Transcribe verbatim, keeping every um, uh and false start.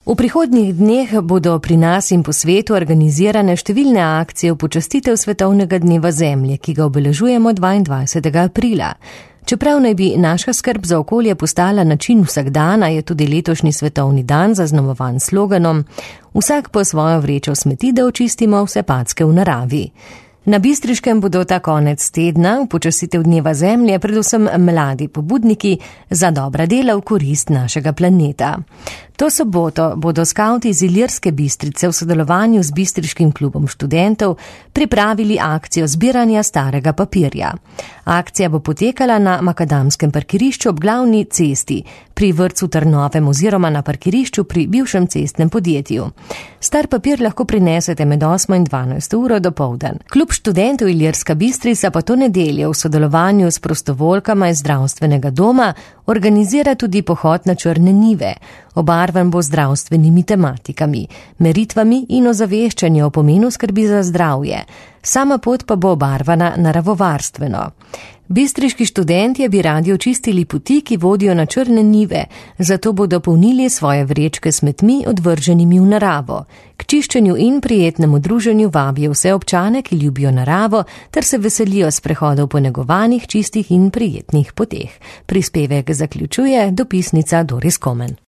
V prihodnjih dneh bodo pri nas in po svetu organizirane številne akcije v počastitev Svetovnega dneva Zemlje, ki ga obeležujemo dvaindvajsetega aprila. Čeprav naj bi naša skrb za okolje postala način vsakdana, je tudi letošnji svetovni dan zaznamovan sloganom Vsak po svojo vrečo smeti, da očistimo vse packe v naravi. Na Bistriškem bodo ta konec tedna v počastitev dneva Zemlje predvsem mladi pobudniki za dobra dela v korist našega planeta. To soboto bodo skavti iz Ilirske Bistrice v sodelovanju z Bistriškim klubom študentov pripravili akcijo zbiranja starega papirja. Akcija bo potekala na makadamskem parkirišču ob glavni cesti, pri vrtcu Trnovem oziroma na parkirišču pri bivšem cestnem podjetju. Star papir lahko prinesete med osmo in dvanajsto uro dopoldan. Klub študentov Ilirska Bistrica pa to nedeljo v sodelovanju s prostovoljkama iz zdravstvenega doma organizira tudi pohod na Črne Nive. Obarvan bo zdravstvenimi tematikami, meritvami in ozaveščanju o pomenu skrbi za zdravje. Sama pot pa bo obarvana naravovarstveno. Bistriški študentje bi radi očistili poti, ki vodijo na Črne Nive, zato bodo polnili svoje vrečke s smetmi odvrženimi v naravo. K čiščenju in prijetnemu druženju vabijo vse občane, ki ljubijo naravo, ter se veselijo sprehodov po negovanih, čistih in prijetnih poteh. Prispevek zaključuje dopisnica Doris Komen.